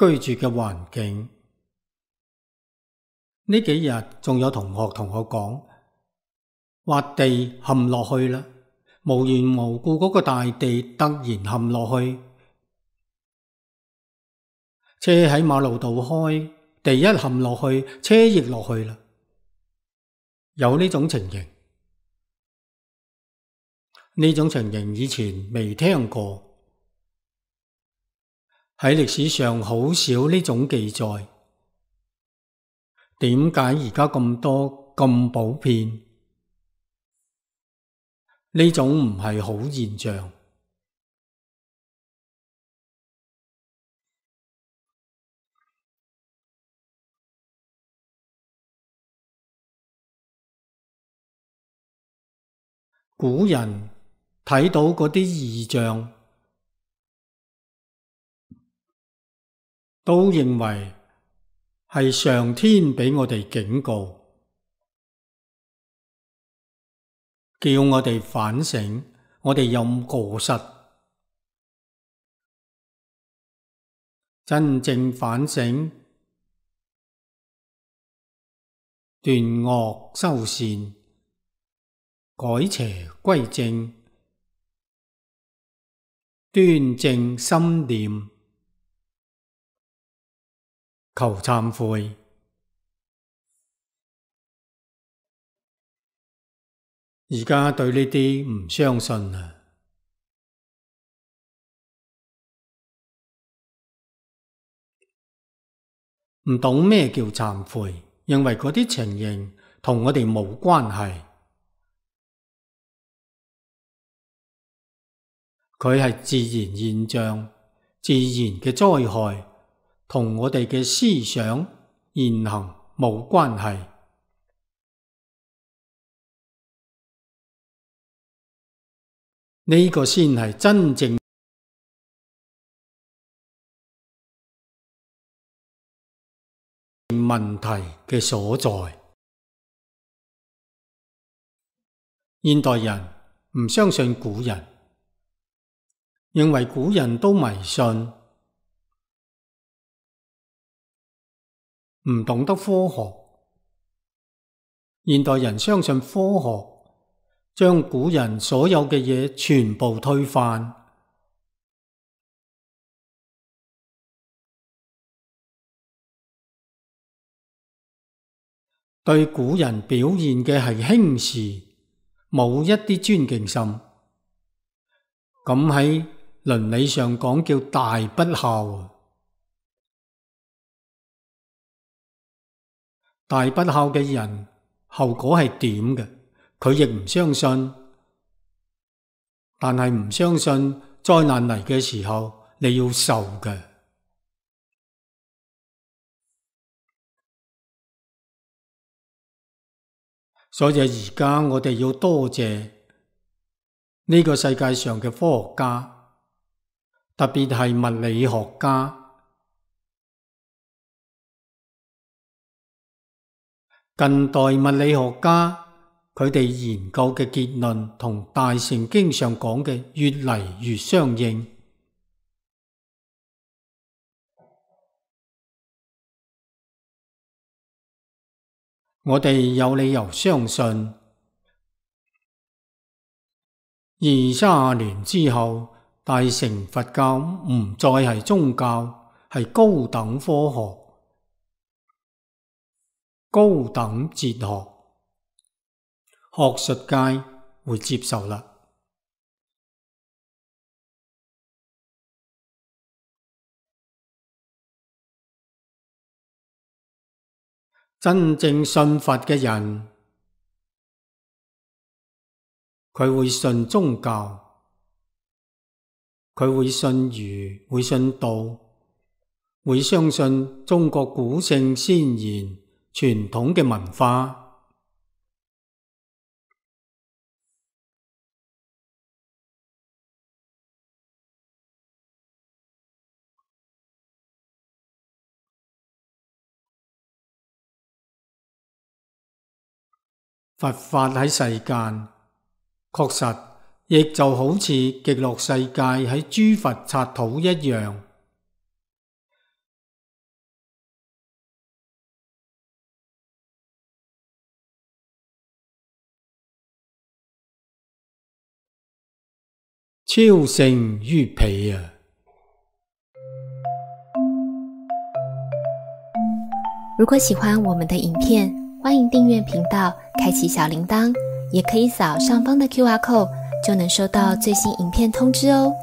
居住嘅環境。呢幾日仲有同學同我講，話地陷落去啦，無緣無故嗰個大地突然陷落去，車喺馬路度開，地一陷落去，車亦落去啦。有呢種情形，呢種情形以前未聽過，喺歷史上好少呢種記載。點解而家咁多咁普遍？呢種唔係好現象。古人睇到嗰啲異象，都認為係上天畀我哋警告，叫我哋反省，我哋有過失。真正反省，斷惡修善，改邪歸正，端正心念，求懺悔。而家對呢啲唔相信啦，唔懂咩叫懺悔，認為嗰啲情形同我哋冇關係。佢係自然現象，自然嘅災害，同我哋嘅思想言行冇關係。呢個先係真正問題嘅所在。現代人唔相信古人，認為古人都迷信，唔懂得科學。現代人相信科學，將古人所有嘅嘢全部推翻。對古人表現嘅係輕視，冇一啲尊敬心。咁喺倫理上講叫大不孝。大不孝嘅人後果係點嘅？佢亦唔相信，但係唔相信災難嚟嘅時候你要受嘅。所以而家我哋要多謝呢個世界上嘅科學家，特別係物理學家。近代物理學家佢哋研究嘅結論同大乘經上講嘅越嚟越相應。我哋有理由相信20-30年之後，大乘佛教唔再係宗教，係高等科學、高等哲學，學術界會接受啦。真正信佛嘅人，佢會信宗教，佢會信儒，會信道，會相信中國古聖先賢傳統嘅文化。佛法喺世間，確實亦就好似極樂世界喺諸佛剎土一樣，超勝於彼啊！如果喜歡我們的影片，歡迎訂閱頻道，開啟小鈴鐺，也可以掃上方的 QR code，就能收到最新影片通知哦。